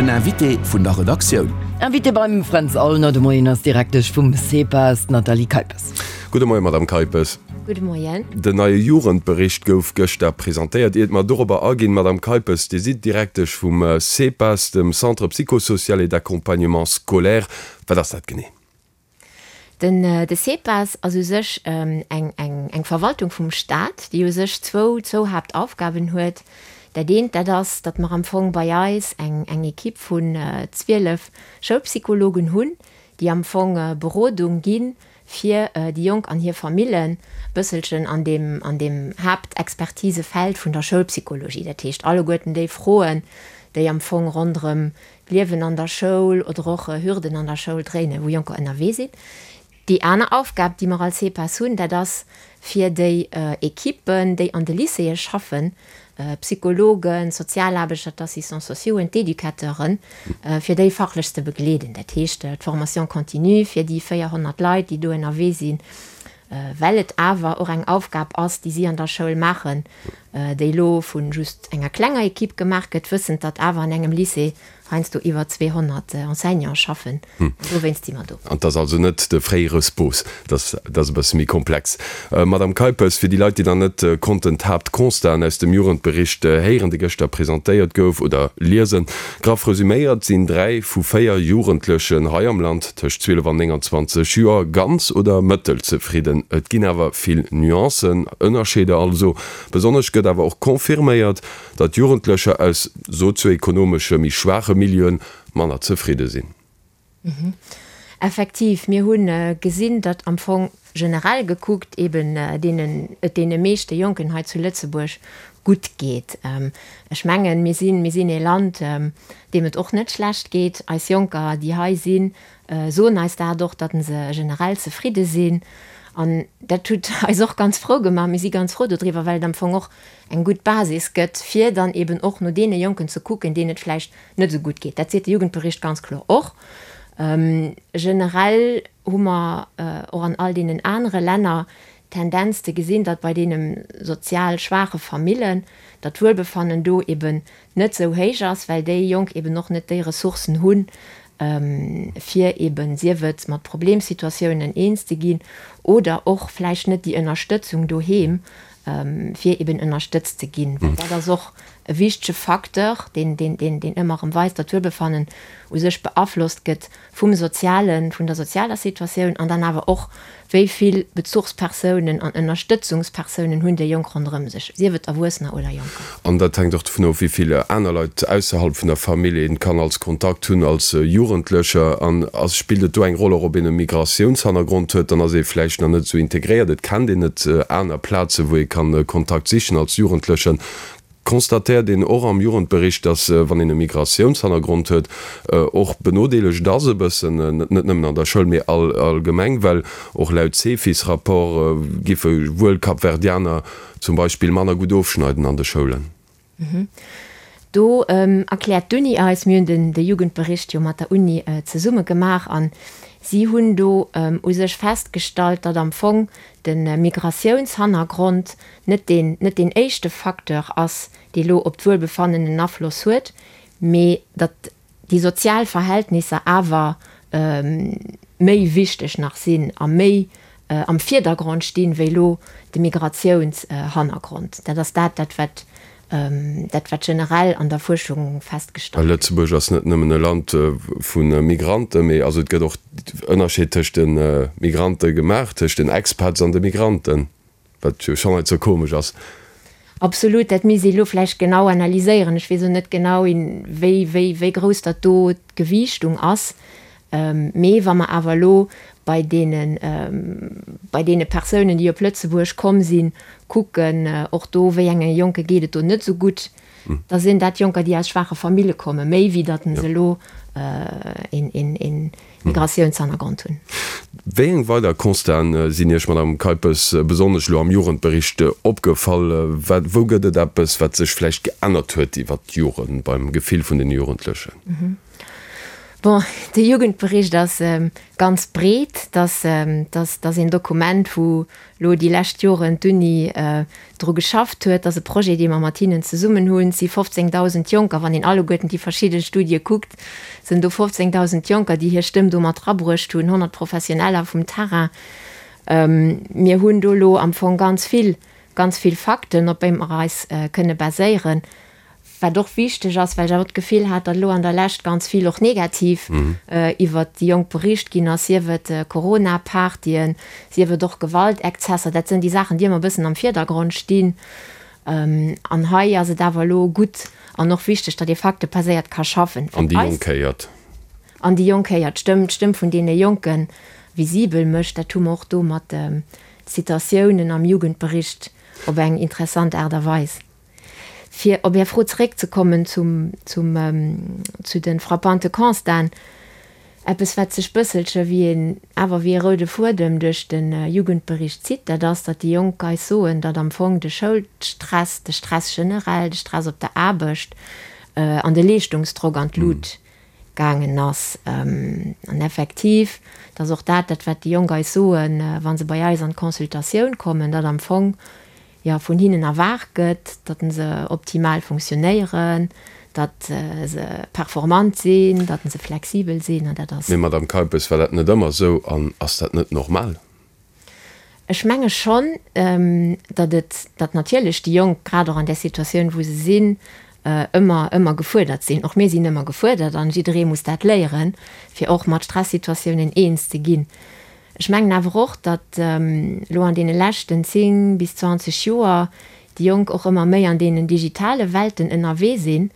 Den Invité vun der Redaktioun. Invitée beim Fränz Aulner de Moien ass d'Direktesch vum CEPAS, d'Nathalie Keipes. Gudde Moien, Madame Keipes. Gudde Moien. Den neie Jugendbericht gouf gëschter presentéiert. Iert mer dorobber aginn, Madame Keipes, Dir sidd Direktesch vum CEPAS, dem Centre psychosocial et d'accompagnement scolaire. Wat ass dat genee? Den de CEPAS ass u sech eng eng Verwaltung vum Stat, déi u sech zwou zwou Haaptaufgaben huet. Dat eent, dat ass, datt mer am Fong bei eis eng eng Equipe vun 12 Schoulpsychologen hunn, déi am Fong Berodung gi fir déi Jonk an hir Famillen, e bësselchen an deem an deem Haaptexpertisefeld vun der Schoulpsychologie. Dat heescht alleguerten déi Froen, déi am Fong ronderëm d'Liewen an der Schoul oder och Hürden an der Schoul dréinen, wou Jonker ënnerwee sinn. Déi aner Aufgab, déi mer als CEPAS hunn, dat ass fir déi Equippen, déi an de Lycéeë schaffen, Psychologen, Sozialaarbechter, d'Assistants sociauxen, d'Educateuren, fir déi fachlech ze begleeden. Dat heescht d'Formation continue fir déi 400 Leit, déi do ënnerwee sinn, well et awer och eng Aufgab ass, déi si an der Schoul maachen, déi elo vu just enger klenger Equipe gemaach gëtt, wëssend, datt awer an engem Lycée heiansdo iwwer 200 Enseignante schaffen. An dowéinst si mer do. An 't ass also net de fréiere SPOS, dat ass e bësse méi komplex. Madame Keipes, fir déi Leit, déi nach net konnten d'Haaptconstaten aus dem Jugendbericht héieren, dee gëschter presentéiert gouf, oder liesen, Graff resuméiert sinn 3 vu 4 Jugendlechen hei am Land tëscht 12 an 29 Joer ganz oder mëttelzefridden. Et ginn awer vill Nuancen, Ënnerscheeder also. Besonnesch gëtt awer och confirméiert, datt Jugendlecher aus sozioekonomesche méi schwaache Milieuen manner zefridde sinn. Effektiv, mir hu gesinn, datt am Fong generell gekuckt eben deenen, et deene meeschte Jonken hei zu Lëtzebuerg gutt geet. Ech mengen, mir sinn, mir sinn ee Land, deem et och net schlecht geet. Eis Jonker, déi hei sinn, soen eis dat och, datt se generell zefridde sinn. An dat huet eis och ganz frou gemaach. Mir si ganz frou dodriwwer, well et am Fong och eng gutt Basis gëtt, fir dann eben och no deene Jonken ze kucken, deenen et vläicht net esou gutt geet. Dat seet de Jugendbericht ganz kloer och. Generell hu mer och an all deenen anere Länner d'Tendenz ze gesinn, datt bei deene sozial schwaache Famillen, datt d'Wuelbefannen do eben net esou héich ass, well déi Jonk eben och net déi Ressourcen hunn, fir eben, sief et mat Problemsituatiounen eens ze ginn oder och vläicht net déi Ënnerstëtzung doheem, fir eben ënnerstëtzt ze ginn. Well dat ass och e wichtege Facteur, deen, deen, deen, deen ëmmer erëm weist, datt d'Wuelbefannen u sech beaflosst gëtt vum Sozialen, vun der sozialer Situatioun an dann awer och, wéi vill Bezuchspersounen an Ënnerstëtzungspersounen hunn déi Jonk ronderëm sech, sief et Erwuessener oder Jonker. An dat hänkt och dovun of, wéi vill aner Leit ausserhalb vun der Famill ee kann als Kontakt hunn als Jugendlecher. An ass, spillt et do eng Roll och, ob een e Migratiounshannergrond huet? Dann ass ee vläicht nach net esou integréiert, et kennt een net aner Plazen, wou ee kann Kontakt sichen als Jugendlechen. Constatéiert een och am Jugendbericht, datt wann een e Migratiounshannergrond huet, och benodeelegt ass e bëssen, net nëmmen an der Schoul, mee allgemeng, well och laut Cefis-Rapport giffe wuel Kapverdianer zum Beispill manner gutt ofschneiden an de Schoulen. Do erkläert d'Uni eis, mir hunn de Jugendbericht jo mat der Uni zesumme gemaach, a si hunn do u sech festgestallt, datt am Fong de Migratiounshannergrond net deen, net deen éischte Facteur ass, dee lo op d'Wuelbefannen en Afloss huet, mee datt déi sozial Verhältnisser awer méi wichteg nach sinn a méi am Virdergrond stinn, wéi lo de Migratiounshannergrond. Dat ass dat, dat wat, dat wat generell an der Fuerschung festgestallt gëtt. Lëtzebuerg ass net nëmmen e Land vu Migranten, mee also et gëtt och Ënnerscheed tëscht de Migrante gemaach, tëscht den Expats an de Migranten. Wat jo schonn net sou komesch ass. Absolut, dat misst ee lo vläicht genau analyséieren. Ech weess och net genau, wéi, wéi, wéi grouss datt do d'Gewiichtung ass. Mee wa mer awer elo bei deene, bei deene Persounen, déi op Lëtzebuerg komm sinn, kucken, och do, wéi enge Jonke geet et do net esou gutt, da sinn dat Jonker, déi aus schwaache Famille kommen, méi wéi datt se elo een, een, een Migratiounshannergrond hunn. Wéi eng weider Constaten sinn Iech, Madame Keipes, besonnesch elo am Jugendbericht opgefall? Wat, wou gëtt et eppes, wat sech vläicht geännert huet iwwert d'Joren beim Gefill vun den Jugendlechen? Bon, de Jugendbericht ass ganz breet. Dat ass een Dokument, wou elo déi lescht Joren d'Uni dru geschafft huet. Dat ass e Projet, dee mer mat hinnen zesummen hunn. Et si 15.000 Jonker, wann een alleguerten déi verschidde Studie kuckt, sinn do 15.000 Jonker, déi hir Stëmm do mat erabruecht hunn, 100 Professioneller vum Terrain. Mir hunn do elo am Fong ganz vill, ganz vill Fakten, op déi mer eis kënne baséieren. Wat och wichteg ass, well ech awer d'Gefill hat, datt elo an der Lescht ganz vill och negativ iwwert déi Jonk bericht ginn ass, sief et Corona-Partyen, sief et och Gewaltexzesser, dat sënn déi Saachen, déi ëmmer e bëssen am Virdergrond stinn. An hei ass et awer elo gutt an och wichteg, datt ee faktebaséiert ka schaffen. An déi Jonk héiert. An déi Jonk héiert, d'Stëmm, d'Stëmm vun deene Jonke visibel mécht. Dat hu mer och do mat de Zitatiounen am Jugendbericht op eng interessant Aart a Weis. Fir op Är Fro zeréckzekommen zum, zum, zu de frappante Constaten, eppes wat sech bësselche wéi een, awer wéi e roude Fuedem duerch de Jugendbericht zitt, dat ass, datt déi Jonk eis soen, datt am Fong de Schoulstress, de Stress generell, de Stress op der Aarbecht an de Leeschtungsdrock an d'Lut gaangen ass. An effektiv, dat ass och dat, dat wat déi Jonk eis soen, wa se bei eis an d'Consultatioun kommen, datt am Fong jo, vun hinnen erwaart gëtt, datt se optimal funktionéieren, datt se performant sinn, datt se flexibel sinn, an dat ass. Mee Madame Keipes, war dat net ëmmer esou an ass dat net normal? Ech menge schonn, datt et, datt natierlech déi Jonk, grad och an där Situatioun wou se sinn, ëmmer, ëmmer gefuerdert sinn. Och mir sinn ëmmer gefuerdert an jidderee muss dat léieren, fir och mat Stressituatiounen eens ze ginn. Ech mengen awer och, datt elo an deene leschten 10 bis 20 Joer déi Jonk och ëmmer méi an deenen digitale Welten ënnerwee sinn.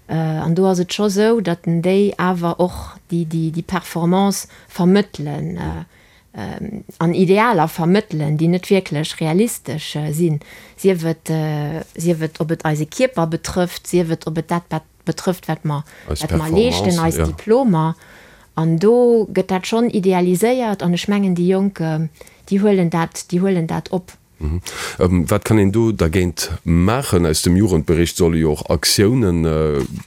An do ass et scho sou, datt déi awer och déi Performance vermëttelen an Idealer vermëttelen, déi net wierklech realistesch sinn, sief et, sief et ob et eise Kierper betrëfft, sief et ob et dat betrëfft, wat mer, wat mer leeschten, eis Diplomer. An do gëtt dat schonn idealiséiert an ech mengen, déi Jonk, déi huelen dat, déi huelen dat op. Wat kann een do dergéint maachen? Aus dem Jugendbericht solle jo och Aktiounen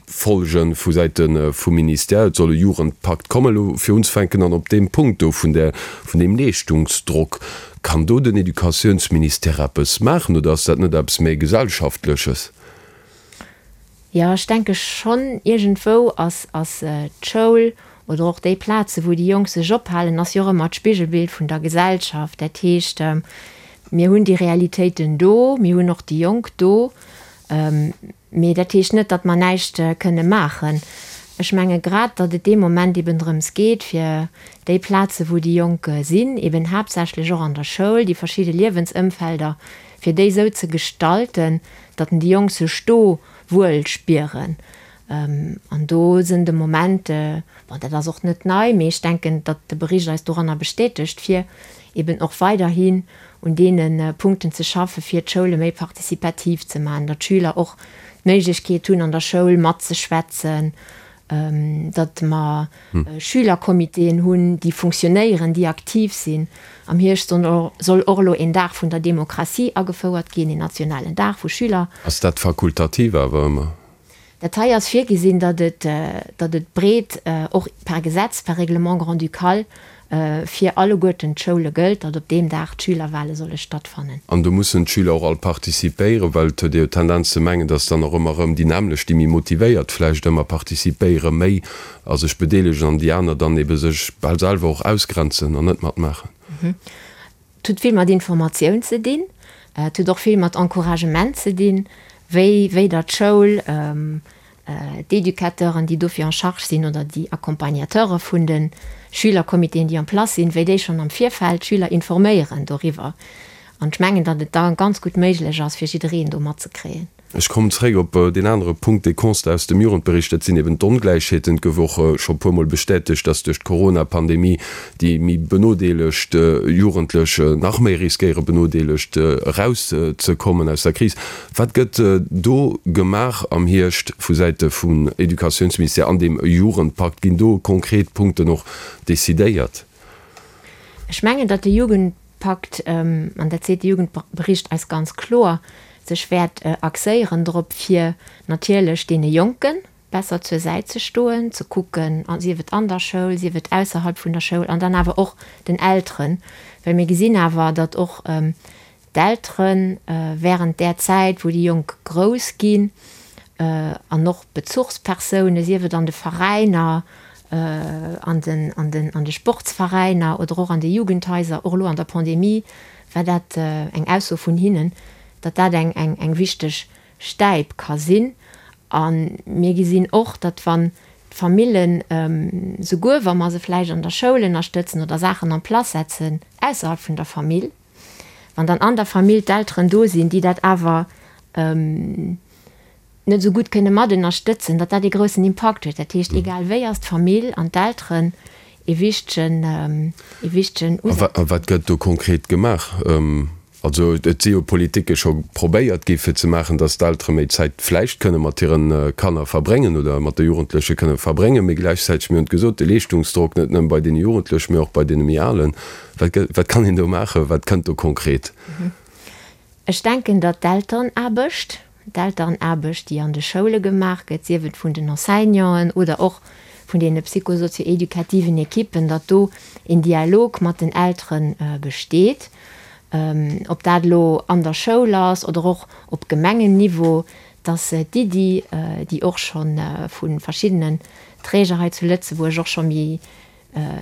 folgen vu Säite vum Ministère. Et soll e Jugendpakt kommen. Elo fir unzefänken an op deem Punkt do vun där, vun deem Leeschtungsdrock, kann do den Educatiounsministère eppes maachen oder ass dat net eppes méi Gesellschaftleches? Jo, ech denke schonn, iergendwou ass ass d'Schoul oder och déi Plaze wou déi Jonk sech ophalen, ass jo och ëmmer d'Spigelbild vun der Gesellschaft. Dat heescht, mir hunn déi Realitéiten do, mir hunn och déi Jonk do, mee dat heescht net, datt mer näischt kënne maachen. Ech menge grad, datt et dee Moment eben drëms geet, fir déi Plaze wou déi Jonk sinn, eben haaptsächlech och an der Schoul, déi verschidde Liewensëmfelder, fir déi esou ze gestalten, datt déi Jonk sech do wuel spieren. An do sinn de Moment, bon, dat ass och net nei, mee ech denken, datt de Bericht eis doranner bestätegt, fir eben och weiderhin un deene Punkten ze schaffen, fir d'Schoule méi participativ ze maachen, datt d'Schüler och d'Méiglechkeet hunn, an der Schoul matzeschwätzen, datt mer Schülercomitéen hunn, déi funktionéieren, déi aktiv sinn. Am Hierscht soll och elo een Dag vun der Demokratie agefouert ginn, een nationalen Dag, wou Schüler. Ass dat fakultativ awer ëmmer? Dat hei ass virgesinn, datt et, datt et breet och per Gesetz, per Règlement grand-ducal fir alleguerten d'Schoule gëllt, datt op deem Dag d'Schülerwahle solle stattfannen. An do mussen d'Schüler och all participéieren, well et huet ee jo d'Tendenz ze mengen, datt dann och ëmmer erëm déi nämmlecht, déi méi motivéiert vläicht ëmmer participéiere méi a sech bedeelegen an déi aner dann ebe sech bal selwer och ausgrenzen an net matmaachen. Et huet vill mat Informatioun ze dinn, et huet och vill mat Encouragement ze dinn, wéi wéi der d'Schoul, d'Educateuren, déi dofir en charge sinn, oder déi Accompagnateure vun de Schülercomitéen, déi en place sinn, wéi déi schonn am Virfeld d'Schüler informéieren doriwwer. An ech mengen, datt et da ganz gutt méiglech ass, fir jiddereen do matzekréien. Ech kommen zréck op deen anere Punkt, dee Constat aus dem Jugendbericht, dat sinn eben d'Ongläichheeten. Et gouf och scho e puermol bestätegt, dass duerch d'Corona-Pandemie déi méi benodeelegt Jugendlech nach méi riskéiere benodeelegt erauszekommen aus der Kris. Wat gëtt do gemaach am Hierscht vu Säite vum Educatiounsministère an deem Jugendpakt? Ginn do konkret Punkten och decidéiert? Ech mengen, datt de Jugendpakt, an dat seet de Jugendbericht eis ganz kloer, sech wäert axéieren drop, fir natierlech deene Jonken. besser zur Säit ze stoen, ze kucken, sief et an der Schoul, sief et ausserhalb vun der Schoul, an dann awer och den Elteren, well mir gesinn awer, datt och d'Eltere während där Zäit, wou déi Jonk grouss ginn, an och Bezuchspersounen, sief et an de Veräiner, an den, an den, an de Sportsveräiner oder och an de Jugendhaiser, och elo an der Pandemie war dat eng Ausso vun hinnen, datt dat eng, eng, eng wichteg Stäip ka sinn. A mir gesinn och, datt wann d'Famillen, souguer wa mer se vläicht an der Schoul ënnerstëtzen oder Saachen en place setzen ausserhalb vun der Famill, wann dann an der Famill d'Elteren do sinn, déi dat awer net esou gutt kënne mat ënnerstëtzen, datt dat ee groussen Impakt huet. Dat heescht, egal wéi ass d'Famill an d'Elteren ee wichtegen, ee wichtegen Usaz. A wat gëtt do konkret gemaach? Also et si jo Politike scho probéiert gi fir ze maachen, datt d'Eltere méi Zäit vläicht kënne mat hire Kanner verbréngen oder mat de Jugendleche kënne verbréngen, mee gläichzäiteg, mir hunn et gesot, de Leeschtungsdrock net nëmme bei deene Jugendlechen, mee och bei deene méi Alen. Wat wat kann een do maachen? Wat kënnt do konkret? Ech denken, datt d'Elterenaarbecht, d'Elterenaarbecht, déi an de Schoule gemaach gëtt, sief et vun den Enseignanten oder och vun deene psychosozioeducativen Ekippen, datt do een Dialog mat den Eltere besteet, ob dat elo an der Schoul ass oder och op Gemengenniveau, datt d'Iddi, déi och scho vu verschiddenen Träger hei zu Lëtzebuerg och scho méi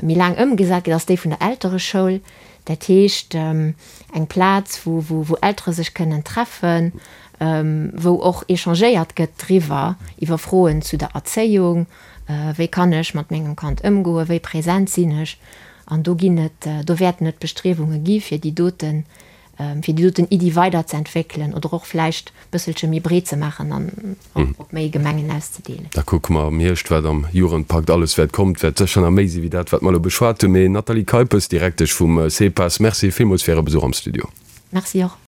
méi laang ëmgesat gëtt, ass déi vun der Eltereschoul. Dat heescht, eng Plaz, wou, wou Eltere sech kënnen treffen, wou och échangéiert gëtt driwwer, iwwer Froen zu der Erzéiung, wéi kann ech mat mengem Kand ëmgoen, wéi present sinn ech. An do ginn et, do wäerten et Bestriewunge gi fir déi doten fir déi doten Iddi weiderzeentwéckelen oder och vläicht e bësselche méi breet ze maachen an op méi Gemengen auszedeelen. Da kucke mer am Hierscht, wat am Jugendpakt alles wäert kommen. Et wäert sécher nach méi si wéi dat, wat mer elo beschwat hunn. Mee Nathalie Keipes, Direktesch vum CEPAS, Merci villmools fir Äre Besuch am Studio. Merci och.